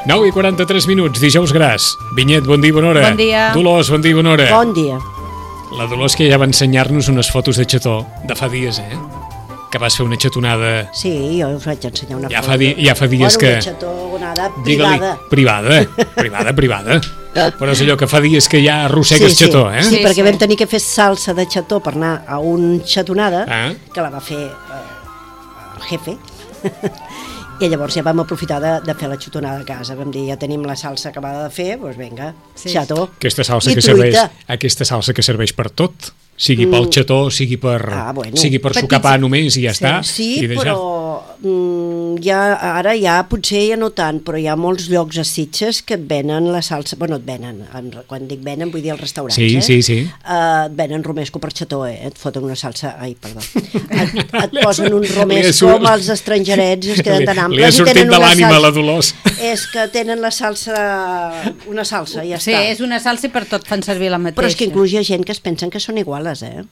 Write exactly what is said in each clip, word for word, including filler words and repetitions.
nou i quaranta-tres minuts, dijous gras. Vinyet, bon dia, bona hora. Bon dia. Dolors, bon dia, bona hora. Bon dia. La Dolors que ja va ensenyar-nos unes fotos de xató de fa dies, eh? Que vas fer una xatonada... Sí, jo us vaig ensenyar una ja foto. Fa di ja fa dies bueno, que... una xatonada privada. Privada, privada, privada. Però és allò que fa dies que ja arrossegues sí, sí. xató, eh? Sí, Sí, perquè sí. vam tenir que fer salsa de xató per anar a un xatonada, Ah. que la va fer eh, el jefe. I llavors ja vam aprofitar de, de fer la xutonada a casa. Vam dir, ja tenim la salsa acabada de fer, doncs vinga, Sí. xató. Aquesta salsa I que serveix, truita. aquesta salsa que serveix per tot, sigui pel xató, sigui per, Ah, bueno. sigui per sucar pa només i ja està. Sí, i deixar. però mm, ja, ara ja potser ja no tant, però hi ha molts llocs a Sitges que et venen la salsa, bueno, et venen, en, quan dic venen vull dir els restaurants, Sí, eh? sí, sí. Uh, et venen romesco per xató, eh? Et foten una salsa, ai, perdó, et, et Li ha posen un sor- li ha romesco sor- amb els estrangerets, es queden tan Li ha amples i sortit tenen de una l'ànima salsa. la Dolors. És que tenen la salsa, una salsa, i ja Sí, està. és una salsa i per tot fan servir la mateixa. Però és que inclús hi ha gent que es pensen que són iguales, eh?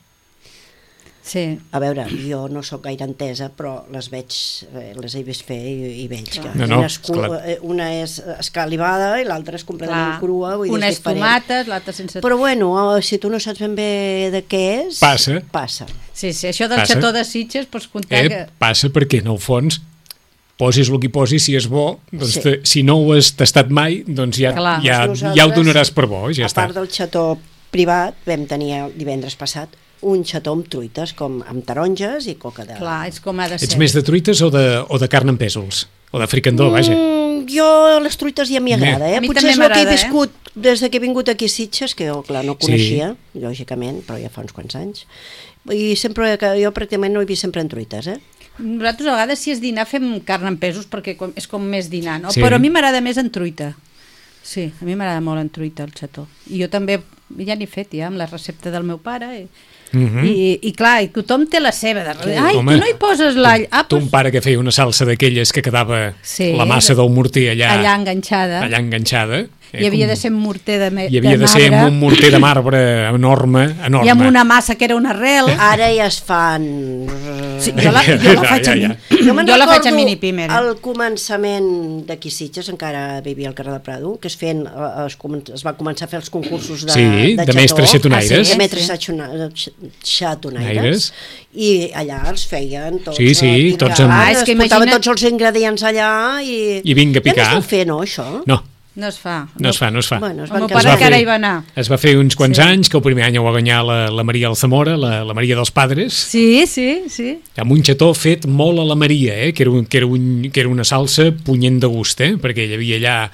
Sí. A veure, jo no sóc gaire entesa, però les veig, eh, les he vist fer i, i veig que No, no, una, és, cu- esclar. eh, una és escalivada i l'altra és completament Clar. crua, vull dir, Una és és diferent. tomates, l'altra sense... Però bueno, eh, si tu no saps ben bé de què és... Passa. Passa. Sí, sí, això del Passa. xató de Sitges pots comptar Eh, que... passa perquè, en el fons, posis el que posis, si és bo, doncs Sí. te, si no ho has tastat mai, doncs ja, Clar. ja, Nosaltres, ja ho donaràs per bo, ja a està. part del xató privat, vam tenir el divendres passat un xató amb truites, com amb taronges i coca de... Clar, és com ha de ser. Ets més de truites o de, o de carn amb pèsols? O de fricandó, vaja. Mm, jo les truites ja m'hi agrada, eh? A mi Potser també és el que he m'agrada, viscut des de que he vingut aquí a Sitges, que jo, clar, no Sí. coneixia, lògicament, però ja fa uns quants anys. I sempre, que jo pràcticament no he vist sempre en truites, eh? Nosaltres a vegades si és dinar fem carn amb pesos perquè com- és com més dinar, no? Sí. Però a mi m'agrada més en truita. Sí, a mi m'agrada molt en truita el xató. I jo també ja n'he fet ja amb la recepta del meu pare i, Mhm. I, i clar, i tothom té la seva. De... Ai, Home, tu no hi poses l'all. Ah, Tu, un doncs, pare que feia una salsa d'aquelles que quedava Sí. la massa del morter allà, allà enganxada. allà enganxada. Eh, I havia com- de ser un morter de, me... I havia de, ser amb un morter de marbre enorme, enorme. I amb una massa que era una arrel. Ara ja es fan... Sí, jo la, jo la faig Ja, a ja, mi. ja. Jo me'n Jo la faig a recordo mini pimer. al començament d'aquí Sitges, encara vivia al carrer de Prado, que es, feien, eh, es, comen- es va començar a fer els concursos de, Sí, de mestres xatonaires. Ah, sí, de Sí, mestres sí. xatona- x- xatonaires. Aires. I allà els feien tots. Sí, sí, eh, tots picant, amb- Ah, és es que portaven imagina't- tots els ingredients allà i... I vinga a Ja no picar. es deu fer, no, això? No, No es fa. no es fa, no es fa. Bueno, es El van meu casar. pare va encara fer- hi va anar. Es va fer uns quants Sí. anys, que el primer any ho va guanyar la, la Maria Alzamora, la, la Maria dels Padres, Sí, sí, sí. amb un xató fet molt a la Maria, eh? que, era un, que, era un, que era una salsa punyent de gust, eh? perquè hi havia allà...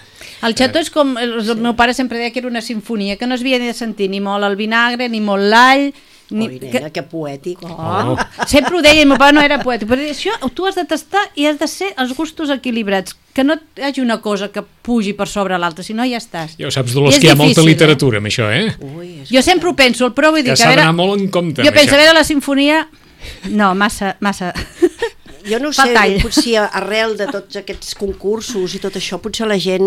El xató és com... El, el meu pare sempre deia que era una sinfonia, que no es havia de sentir ni molt el vinagre, ni molt l'all... Ni, Ui, nena, que poètic. Oh. Sempre ho deia, i el meu pare no era poètic, però deia, això tu has de tastar i has de ser els gustos equilibrats, que no hi hagi una cosa que pugi per sobre l'altra, si no ja estàs. Ja ho saps, Dolors, I és que hi ha molta difícil, literatura amb això, eh? Ui, és Jo sempre ho penso, el provo i dic, Que a s'ha veure... d'anar molt en compte Jo amb penso, això. a veure la sinfonia... No, massa... massa... jo no ho Fa sé, tall. potser arrel de tots aquests concursos i tot això, potser la gent,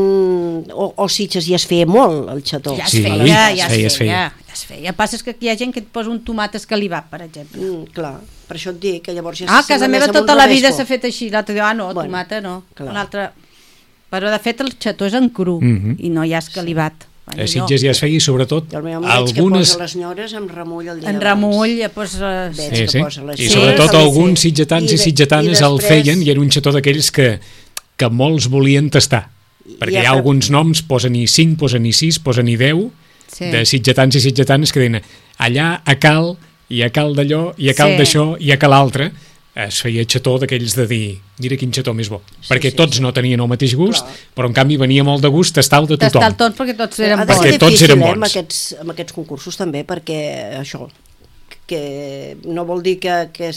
o, o Sitges ja es feia molt, el xató. Ja es Sí, feia, ja es es feia, feia, es feia. ja es feia. Passa és que hi ha gent que et posa un tomat escalivat, per exemple. Mm, clar, per això et dic que llavors ja Ah, a casa s'assembla meva més a un tota la vida rodesco. s'ha fet així. L'altre diu, ah, no, Bueno, tomata no. clar. L'altre... Però, de fet, el xató és en cru Mhm. i no hi ha escalivat. A Sitges ja es feia i sobretot I el meu home algunes... veig que posa les nyores amb remull el dia En abans. remull, ja posa... Veig Sí, que sí. posa les I Sí. sobretot nyores, alguns sí. sitgetans i, de- sitgetanes i el després- feien i era un xató d'aquells que, que molts volien tastar. I Perquè ja hi ha fa- alguns noms, posen i cinc, posen i sis, posen i deu, Sí. de sitgetans i sitgetanes que deien allà a cal, i a cal d'allò, i a cal Sí. d'això, i a cal altre. Es feia xató d'aquells de dir mira quin xató més bo, Sí, perquè sí, tots sí. no tenien el mateix gust, Clar. però en canvi venia molt de gust tastar-ho de Tastar el tothom. tot perquè tots eren Ha de bons. Perquè ser tots difícil, eren eh, amb bons. aquests, amb aquests concursos també, perquè això, que no vol dir que, que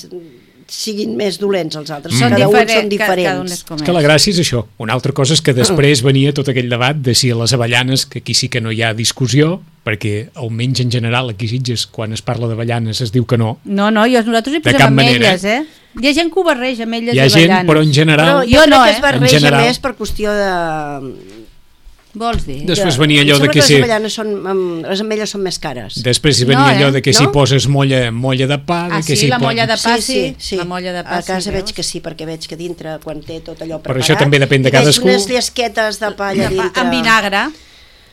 siguin més dolents els altres, Mm. cada un Diferent- són ca- diferents. Cada un és com És que la és. gràcia és això. Una altra cosa és que després venia tot aquell debat de si a les avellanes, que aquí sí que no hi ha discussió, perquè almenys en general aquí a Sitges, quan es parla d'avellanes es diu que no. No, no, jo, nosaltres hi De posem cap manera, ametlles, eh? Hi ha gent que ho barreja, ametlles Hi i ha gent, avellanes. però en Però general... jo, Jo crec no, que eh? es barreja En general. més per qüestió de... Vols dir? Després venia allò de Em sembla que les si... avellanes són, um, les ametlles són més cares. Després hi venia No, eh? allò de que si No? poses molla, molla de pa... Ah, de que sí, si la po- molla de pa, sí. sí. La molla de pa, a casa sí, veig veus? que sí, perquè veig que dintre, quan té tot allò Però preparat... això també depèn de i veig cadascú. unes llesquetes de pa allà De pa, dintre. amb vinagre,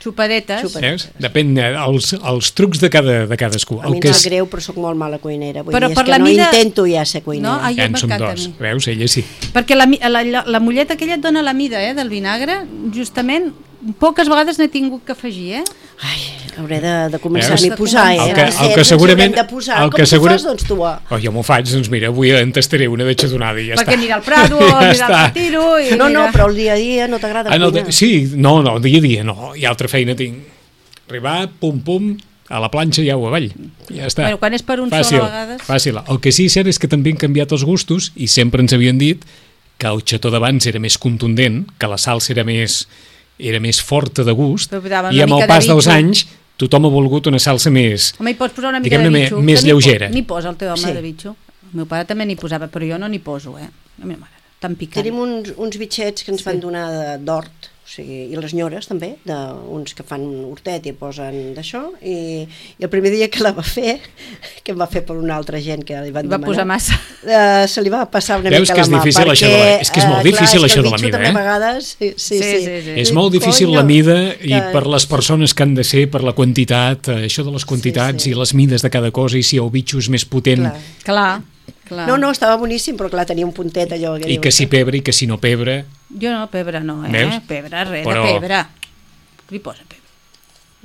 xupadetes. Xupadetes. Veus? Depèn eh, els, els trucs de, cada, de cadascú. A mi El em que sap és... greu, però sóc molt mala cuinera. Vull Però dir, és per que la no mida- intento ja ser cuinera. No? Ai, Ja en jo som m'encanta a dos. mi. Veus? Ella sí. Perquè la, mi- la, la, la molleta aquella et dona la mida, eh, del vinagre, justament, poques vegades n'he tingut que afegir, eh? Ai, hauré de, de començar Veus? a m'hi posar, eh? El que- el Receptes que ens segurament- haurem de posar. el Com que t'ho segura- fas, doncs, tu? ah? Oh, jo m'ho faig, doncs mira, avui en tastaré una de xatonada i ja Perquè està. anirà al Prado, o Ja anirà al està. Retiro... I No, no, anirà- però el dia a dia no t'agrada Ah, no, cuinar. de, sí, no, no, dia a dia no, hi ha altra feina tinc. Arribar, pum, pum, a la planxa i au avall. Ja està. Bueno, quan és per un sol, fàcil, a vegades. Fàcil. El que sí és cert és que també han canviat els gustos i sempre ens havien dit que el xató d'abans era més contundent, que la salsa era més, era més forta de gust, Però posaven i una amb mica el de pas dels bitxo. anys tothom ha volgut una salsa més... Home, hi pots posar una mica Diguem-ne, de me- bitxo. més que n'hi lleugera. po- N'hi posa el teu home Sí. de bitxo. El meu pare també n'hi posava, però jo no n'hi poso, eh? A mi m'agrada, tan picant. Tenim uns, uns bitxets que ens van donar de- d'hort, o sigui, i les nyores també, d'uns que fan hortet i posen d'això, i, i el primer dia que la va fer, que em va fer per una altra gent que li van Hi va demanar, posar massa. eh, se li va passar una Veus mica que la és mà, difícil això de la- és que és molt eh, difícil clar, és això que el de la bitxo mida, també eh? a vegades, sí, sí, Sí, sí. sí, sí. És Dic, molt difícil "Conyo, la mida i que- per les persones que han de ser, per la quantitat, eh, això de les quantitats Sí, sí. i les mides de cada cosa i si el bitxo és més potent Clar. Clar, clar. No, no, estava boníssim, però clar, tenia un puntet allò. i que si pebre i que si no pebre. Jo no, pebre no, eh? Veus? Pebre, res Però- de pebre. Li posa pebre.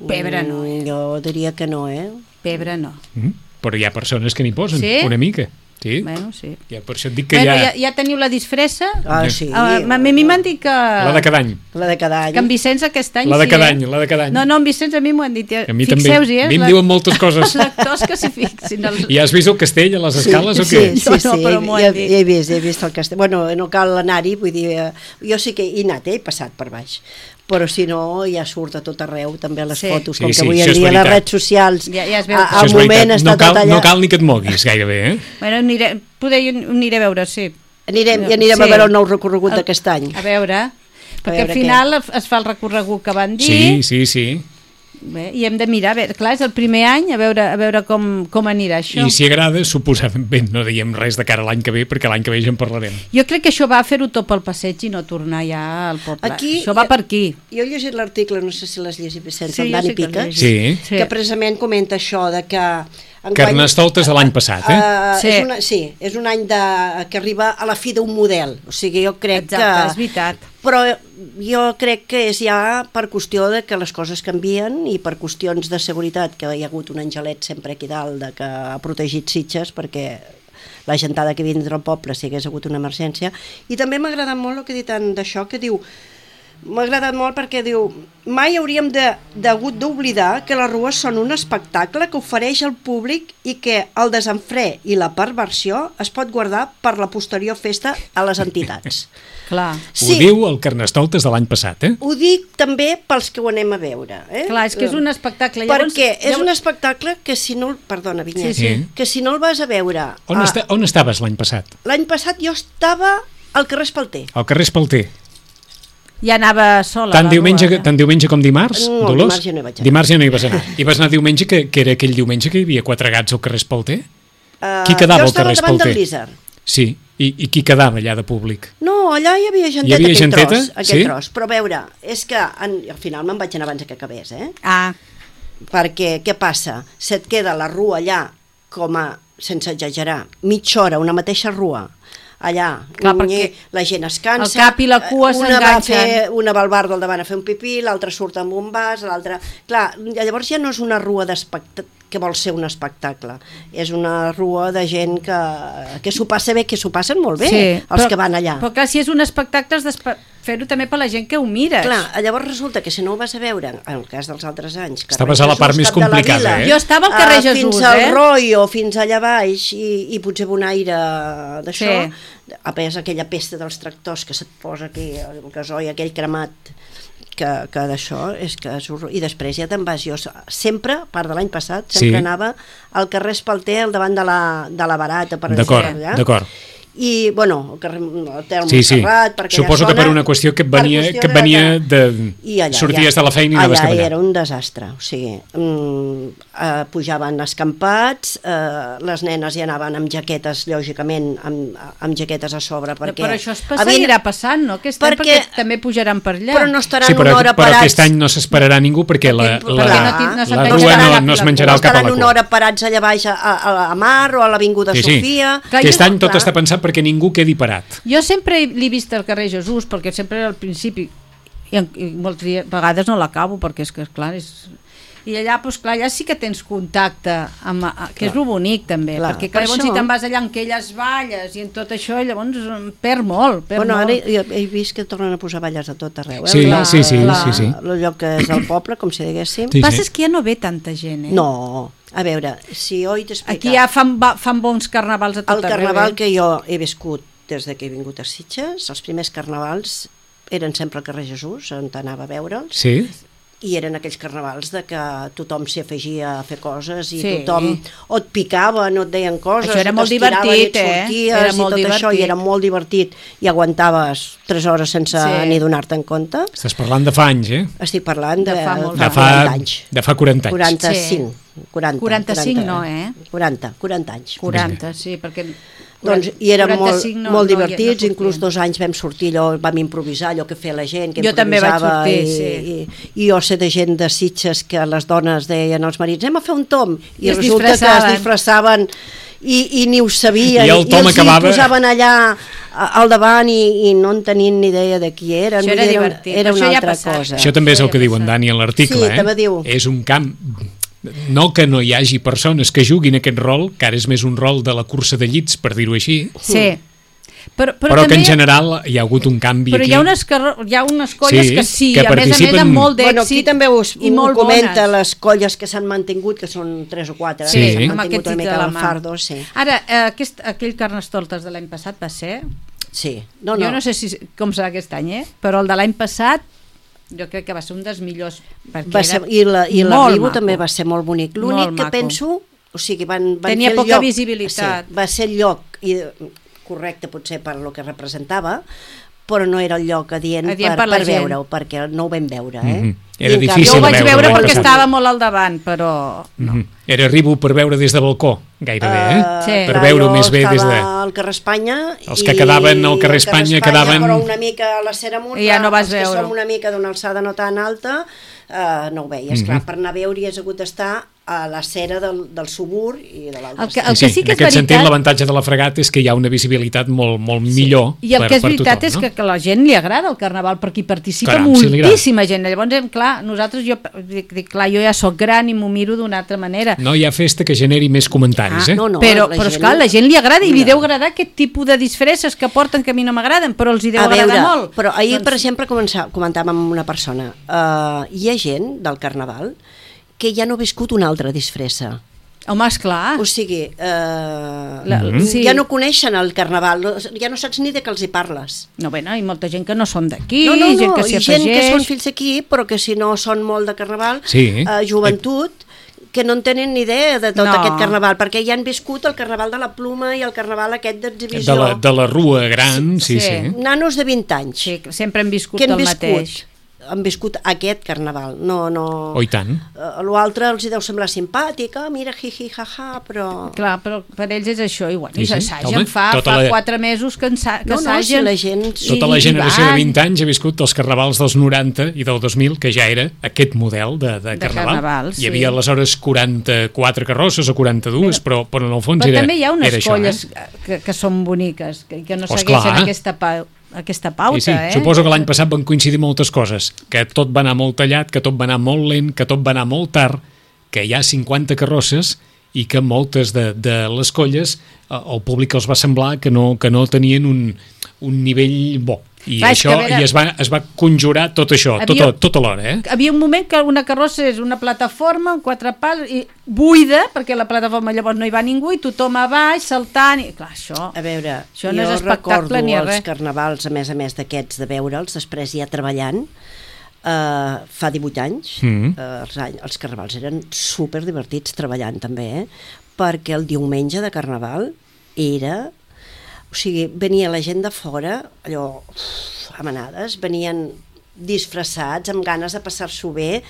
Pebre no, eh? Mm, jo diria que no, eh? Pebre no. Mm, però hi ha persones que n'hi posen, Sí? una mica. Sí? Bueno, sí. Ja, per això et dic que Bueno, hi ha... ja, ja teniu la disfressa? Ah, sí. Ah, a mi m'han dit que... La de cada any. La de cada any. Que en Vicenç aquest any La de sí, cada eh? any, la de cada any. No, no, en Vicenç a mi m'ho han dit. A mi també. Fixeu-hi, eh? A mi em La- diuen moltes coses. Els lectors que s'hi fixin. Els... I has vist el castell a les escales sí, o què? Sí, sí, Jo sí, no, però m'ho ja, han dit. ja he vist, ja he vist el castell. Bueno, no cal anar-hi, vull dir, eh, jo sí que he anat, eh, he passat per baix. Però si no, ja surt a tot arreu, també a les Sí. fotos, Sí, com sí, que avui això en és dia les veritat. redes socials, Ja- ja es veu a, que- al Això és moment veritat. està no cal, tot allà. No cal ni que et moguis gairebé, eh? Bueno, aniré, poder hi aniré a veure, sí. Anirem, i anirem Sí. a veure el nou recorregut El- d'aquest any. A veure, perquè veure al final es fa el recorregut que van dir. Sí, sí, sí. Bé, i hem de mirar, a veure, clar, és el primer any, a veure, a veure com, com anirà això. I si agrada, suposadament no diem res de cara a l'any que ve, perquè l'any que ve ja en parlarem. Jo crec que això va fer-ho tot pel passeig i no tornar ja al poble. Aquí- això va per aquí. Jo he llegit l'article, no sé si l'has llegit, Vicenç, Sí, amb jo Dani sí que l'he Pica, llegit. Sí. Sí. que precisament comenta això de que... enguany- Carnestoltes de l'any passat, eh? Uh, Sí. és una, sí, és un any de, que arriba a la fi d'un model, o sigui, jo crec Exacte, que... és veritat. Però jo crec que és ja per qüestió de que les coses canvien i per qüestions de seguretat, que hi ha hagut un angelet sempre aquí dalt de que ha protegit Sitges perquè la gentada que vindrà al poble si hagués hagut una emergència. I també m'ha agradat molt el que ha dit en d'això, que diu m'ha agradat molt perquè diu mai hauríem de, degut d'oblidar que les rues són un espectacle que ofereix al públic i que el desenfre i la perversió es pot guardar per la posterior festa a les entitats. Clar. Sí. Ho diu el Carnestoltes de l'any passat, eh? Ho dic també pels que ho anem a veure. Eh? Clar, és que és un espectacle. Llavors, perquè és llavors... un espectacle que si no... Perdona, Vinyet. Sí, sí. Que si no el vas a veure... On, a... està, on estaves l'any passat? L'any passat jo estava al carrer Espalter. Al carrer Espalter. Ja anava sola. Tant diumenge, rua, tant diumenge com dimarts, no, Dolors? dimarts ja no hi vaig anar. Dimarts ja no hi vas anar. I vas anar diumenge, que, que era aquell diumenge que hi havia quatre gats al carrer Espalter? Uh, Qui quedava al Jo carrer estava davant Espalter? del Lízer. Sí, I, i qui quedava allà de públic? No, allà hi havia genteta, Hi havia aquell genteta? tros, aquell Sí? tros. Però a veure, és que en, al final me'n vaig anar abans que acabés, eh? Ah, Perquè què passa? Se't queda la rua allà com a, sense exagerar, mitja hora, una mateixa rua, allà, Clar, unyer, perquè la gent es cansa, el cap i la cua una va s'enganxen. fer, una va al bar del davant a fer un pipí, l'altra surt amb un vas, l'altra... Clar, llavors ja no és una rua d'espectacle que vol ser un espectacle, és una rua de gent que, que s'ho passa bé, que s'ho passen molt bé, sí, els però, que van allà. Però clar, si és un espectacle has de fer-ho també per la gent que ho mires. Clar, llavors resulta que si no ho vas a veure, en el cas dels altres anys... Estaves a la part més complicada, eh? Jo estava al carrer uh, Jesús, fins al eh? Roio, fins allà baix, i, i potser un aire d'això, Sí. a més aquella pesta dels tractors que se't posa aquí, el gasoil, aquell cremat, que, que d'això és que és horror. I després ja te'n vas, jo sempre, a part de l'any passat, sempre Sí. anava al carrer Espalter, al davant de la, de la Barata, per D'acord, exemple, allà. d'acord. I, bueno, el carrer Hotel Sí, sí. Montserrat, per aquella Suposo zona, que per una qüestió que et venia, per qüestió que et venia de... I allà, sorties ja, de la feina i anaves allà cap allà. era un desastre, o sigui, mm, eh, pujaven escampats, eh, les nenes hi anaven amb jaquetes, lògicament, amb, amb jaquetes a sobre, perquè... Però això es seguirà passant, no? Aquest any, perquè, perquè també pujaran per allà. Però no estaran Sí, però, una hora però parats... aquest any no s'esperarà ningú perquè la, Perquè- la, perquè la, no ti- no la se'n rua penjarà no, la- no es la- menjarà no el cap a estaran la una cua. hora parats allà baix a, a, a Mar o a l'Avinguda Sí, sí. Sofia... Que Aquest jo- any tot clar. està pensat perquè ningú quedi parat. Jo sempre l'he vist al carrer Jesús, perquè sempre al principi, i, en, i moltes vegades no l'acabo, perquè és que, clar, és... I allà, doncs, clar, allà sí que tens contacte, amb, a, que és lo bonic, també, Clar, perquè per clar, llavors això- si te'n vas allà en aquelles valles i en tot això, llavors em perd molt, perd Bueno, ara molt. he, he vist que tornen a posar balles a tot arreu. Eh? Sí, La- sí, sí, la- sí, sí. El lloc que és el poble, com si diguéssim. Sí, El que passa sí. és que ja no ve tanta gent, eh? No, a veure, si jo he d'explicar... Aquí ja fan, va, fan bons carnavals a tot El arreu. carnaval eh? que jo he viscut des de que he vingut a Sitges, els primers carnavals eren sempre al carrer Jesús, on anava a veure'ls, Sí? i eren aquells carnavals de que tothom s'hi afegia a fer coses i Sí. tothom o et picava, no et deien coses, Això era o molt t'estiraven i divertit, et eh? sorties Era i molt tot això, divertit. i era molt divertit, i aguantaves tres hores sense Sí. ni donar-te en compte. Estàs parlant de fa anys, eh? Estic parlant de, De fa molt De fa, quaranta anys. de fa quaranta anys. quaranta-cinc. quaranta, quaranta-cinc quaranta, no, eh? quaranta, quaranta anys. quaranta, sí, perquè... Doncs, i eren molt, quaranta-cinc no- molt no hi- divertits, no inclús sortien. dos anys vam sortir allò, vam improvisar allò que feia la gent, que Jo també vaig improvisava, sortir, i, sí. i, i jo sé de gent de Sitges que les dones deien als marits, anem a fer un tom, i, I es resulta que disfressaven. es disfressaven i, i ni ho sabien, I el tom els hi acabava- posaven allà a- al davant i, i no en tenien ni idea de qui eren. Això vull era dir, divertit, era això una ja ha altra passat. cosa. Això també és el Ja que diu en passa. Dani en l'article, Sí, també eh? diu. És un camp... No que no hi hagi persones que juguin aquest rol, que ara és més un rol de la cursa de llits, per dir-ho així, Sí. Però, però, però que també en general hi ha hagut un canvi Però aquí. hi ha unes, carro- hi ha unes colles Sí, que sí, que a més a més participen- amb molt Bueno, aquí d'èxit també us, i ho molt comenta bones. les colles que s'han mantingut, que són tres o quatre, Sí. eh, que s'han amb mantingut aquest una dit de mica la al mà. fardo, sí. Ara, eh, aquest, aquell Carnestoltes de l'any passat va ser... Sí, no, Jo no. no sé si, com serà aquest any, eh? Però el de l'any passat jo crec que va ser un dels millors. perquè Va ser, era I la- i molt l'arribo maco. també va ser molt bonic. L'únic Molt que maco. penso, o sigui, van, van Tenia fer el poca lloc, visibilitat. Sí, va ser el lloc i, correcte potser per lo que representava, però no era el lloc adient, Adient per, per la per gent. veure-ho, perquè no ho vam veure. Eh? Mhm. I Era en canvi- difícil Jo ho de vaig veure veure l'any perquè passat. estava molt al davant, però... No. Mhm. Era arribo per veure des de balcó, gairebé, eh? Eh, Sí. Per clar, veure jo més bé des de... estava al carrer Espanya Els que quedaven al carrer Espanya quedaven- però una mica a la Cera Murta, I ja no vas els que veure-ho. som una mica d'una alçada no tan alta, eh, no ho veies. Mhm. Clar, per anar a veure hi has hagut d'estar a la cera del, del subur i de l'altre. El que- extrem. el que sí que en és aquest sentit veritat- l'avantatge de la fregata és que hi ha una visibilitat molt, molt millor I el per, que és per veritat tothom, és no? que, que a la gent li agrada el carnaval perquè hi participa Caram, sí, li agrada. moltíssima gent. Llavors, em- clar, clar, nosaltres, jo dic, dic, clar, jo ja sóc gran i m'ho miro d'una altra manera. No hi ha festa que generi més comentaris, Ah, eh? no, no, però, la però gent- esclar, la gent li agrada i li Mira. deu agradar aquest tipus de disfresses que porten que a mi no m'agraden, però els hi deu A agradar veure, molt. però ahir, Doncs- per exemple, començà, comentàvem amb una persona, uh, hi ha gent del Carnaval que ja no ha viscut una altra disfressa. Home, esclar. O sigui, eh, La- Mhm. sí. ja no coneixen el Carnaval, no- ja no saps ni de què els hi parles. No, bé, no, hi ha molta gent que no són d'aquí, No, no, no, gent que s'hi i gent que afegeix. són fills d'aquí, però que si no són molt de Carnaval, Sí. eh, joventut, que no en tenen ni idea de tot No. aquest Carnaval, perquè ja han viscut el Carnaval de la Pluma i el Carnaval aquest d'exhibició. De la, de la rua gran, sí, sí. Sí. Nanos de vint anys, Sí, que sempre hem viscut que han el viscut, mateix. han viscut aquest Carnaval, no, no... Oh, i tant. Eh, L'altre els hi deu semblar simpàtica, mira, jiji, jaja, però... Clar, però per ells és això, i, bueno, Sí, i sí. s'assagen, Home, fa, tota fa la- quatre mesos que, ensa, que No, no, si assagen. la gent- Tota la i- i generació de van. vint anys ha viscut dels carnavals dels noranta i del dos mil, que ja era aquest model de, de, De carnaval. carnaval, sí. Hi havia aleshores quaranta-quatre carrosses o quaranta-dues, però, però en el fons Però era, també hi ha unes era això, colles eh? que, que són boniques, que, que no Pues segueixen clar. aquesta, pa, aquesta pauta, Sí, sí. eh? Suposo que l'any passat van coincidir moltes coses, que tot va anar molt tallat, que tot va anar molt lent, que tot va anar molt tard, que hi ha cinquanta carrosses i que moltes de, de les colles eh, el públic els va semblar que no, que no tenien un, un nivell bo. I, Clar, és això, que a veure- i es va, es va conjurar tot això, Havia- tot, tot alhora, eh? Havia un moment que una carrossa és una plataforma amb quatre pals i buida, perquè la plataforma llavors no hi va ningú i tothom a baix saltant i clar, això, A veure, això no jo és espectacle recordo ni els res. carnavals, a més a més d'aquests de veure'ls, després ja treballant, eh, fa divuit anys, Mm. eh, els, any, els carnavals eren super divertits treballant també, eh? Perquè el diumenge de carnaval era... O sigui, venia la gent de fora, allò, uf, a manades, venien disfressats, amb ganes de passar-s'ho bé,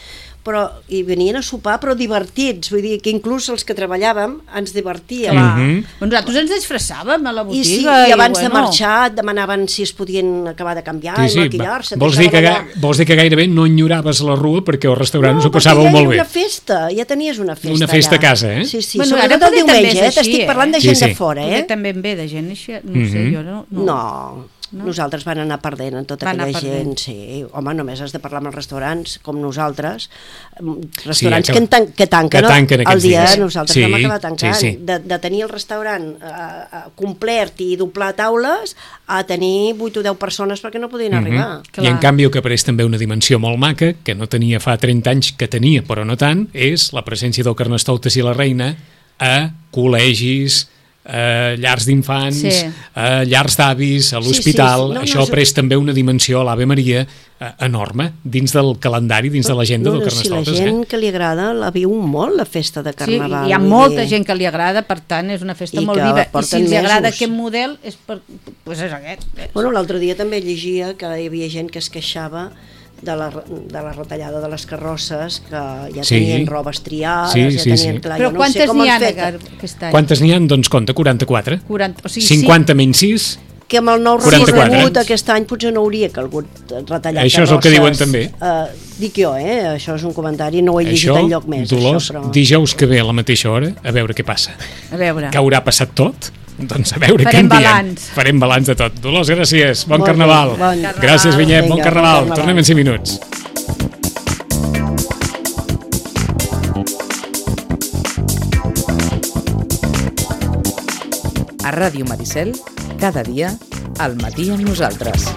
però i venien a sopar, però divertits, vull dir que inclús els que treballàvem ens divertíem. Clar. Mhm. Doncs nosaltres ens disfressàvem a la I, botiga. sí, i abans de bueno, marxar et demanaven si es podien acabar de canviar Sí, i sí. maquillar-se. et Vols, dir que, deixaven ga- allà. vols dir que gairebé no enyoraves la rua perquè als restaurants ho perquè passàveu ja molt era bé. una festa, ja tenies una festa Una festa allà. a casa, eh? Sí, sí, Bueno, sobretot ara el poder també diumenge, és eh? així, T'estic parlant de eh? gent Sí, sí. de fora, poder eh? també en ve de gent així, no ho sé, Mhm. jo no... No, no. No? Nosaltres van anar perdent en tota Van anar aquella perdent. gent, sí. Home, només has de parlar amb els restaurants, com nosaltres, restaurants Sí, que, en tan, que tanquen, que tanquen el aquests dia, dies. nosaltres Sí, vam acabar tancant. sí, sí. De, de tenir el restaurant eh, eh, complet i doblar taules a tenir vuit o deu persones perquè no podien Mhm. arribar. Clar. I en canvi el que apareix també una dimensió molt maca, que no tenia fa trenta anys, que tenia però no tant, és la presència del Carnestoltes i la Reina a col·legis, a llars d'infants, Sí. a llars d'avis, a Sí, l'hospital. sí, sí. No, no, Això ha és- pres també una dimensió a l'Ave Maria eh, enorme dins del calendari, dins de l'agenda no, del no, si la Carnestoltes. gent Eh? que li agrada la viu molt, la festa de Sí, Carnaval. hi ha vull molta dir. gent que li agrada, per tant, és una festa I molt que viva. I si porten els agrada mesos. aquest model, és, per, pues és aquest. Bueno, l'altre dia també llegia que hi havia gent que es queixava de la, de la retallada de les carrosses, que ja Sí. tenien robes triades, Sí, ja sí, tenien... sí. Clar, Però jo no sé quantes com n'hi ha han fet, aquest any? Quantes n'hi ha? Doncs compta, quaranta-quatre. quaranta, o sigui, cinquanta menys sis, que amb el nou quaranta-quatre. recorregut aquest any potser no hauria calgut retallar Això és el que diuen carrosses. també. Uh, dic jo, eh? Això és un comentari, no ho he llegit això, enlloc més. Dolors, això, però... dijous que ve a la mateixa hora, a veure què passa. sí. A veure. Que haurà passat tot? Doncs a veure Farem què en diem. balanç. Farem balanç de tot. Dolors, gràcies. Bon Molt bé, carnaval. bon carnaval. Gràcies, Vinyet. Bon Vinga, carnaval. bon carnaval. Tornem en cinc minuts. A Ràdio Maricel, cada dia, al matí amb nosaltres.